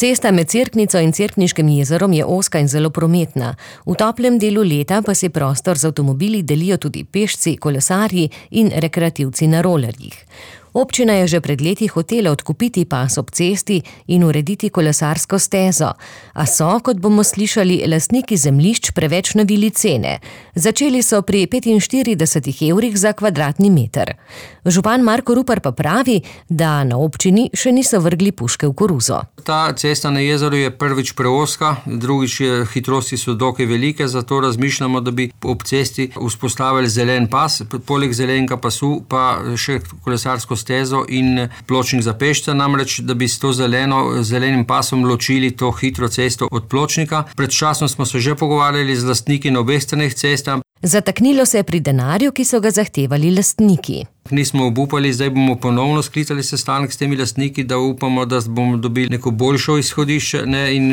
Cesta med Cerknico in Cerkniškim jezerom je ozka in zelo prometna. V toplem delu leta pa si prostor z avtomobili delijo tudi pešci, kolesarji in rekreativci na rolerjih. Občina je že pred leti hotela odkupiti pas ob cesti in urediti kolesarsko stezo, a so, kot bomo slišali, lastniki zemljišč preveč navili cene. Začeli so pri 45 evrih za kvadratni meter. Župan Marko Rupar pa pravi, da na občini še niso vrgli puške v koruzo. Ta cesta na jezeru je prvič preozka, drugič hitrosti so dokaj velike, zato razmišljamo, da bi ob cesti vzpostavili zelen pas, poleg zelenega pasu pa še kolesarsko stezo in pločnik za pešce, namreč, da bi s to zelenim pasom ločili to hitro cesto od pločnika. Pred časom smo se že pogovarjali z lastniki na obeh straneh cesta. Zataknilo se je pri denarju, ki so ga zahtevali lastniki. Nismo obupali, zdaj bomo ponovno sklicali sestanek s temi lastniki, da upamo, da bomo dobili neko boljšo izhodišče, in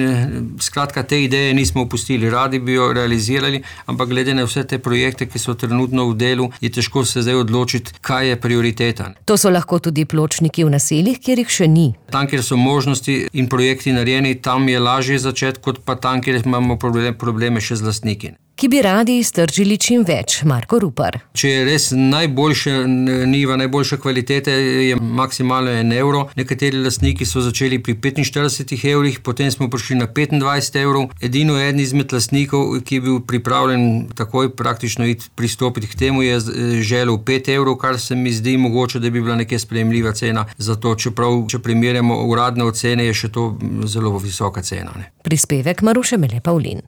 skratka te ideje nismo opustili. Radi bi jo realizirali, ampak glede na vse te projekte, ki so trenutno v delu, je težko se zdaj odločiti, kaj je prioriteta. To so lahko tudi pločniki v naseljih, kjer jih še ni. Tam, kjer so možnosti in projekti narejeni, tam je lažje začeti, kot pa tam, kjer imamo probleme še z lastniki. Ki bi radi iztržili čim več, Marko Rupar. Če je res najboljše niva, najboljše kvalitete, je maksimalno 1 evro. Nekateri lastniki so začeli pri 45 evrih, potem smo prišli na 25 evrov. Edino eden izmed lastnikov, ki je bil pripravljen takoj praktično pristopiti k temu, je želel 5 evrov, kar se mi zdi mogoče, da bi bila nekaj sprejemljiva cena. Zato, čeprav, če primerjamo uradne ocene, je še to zelo visoka cena. Prispevek Maruše Mele Pavlin.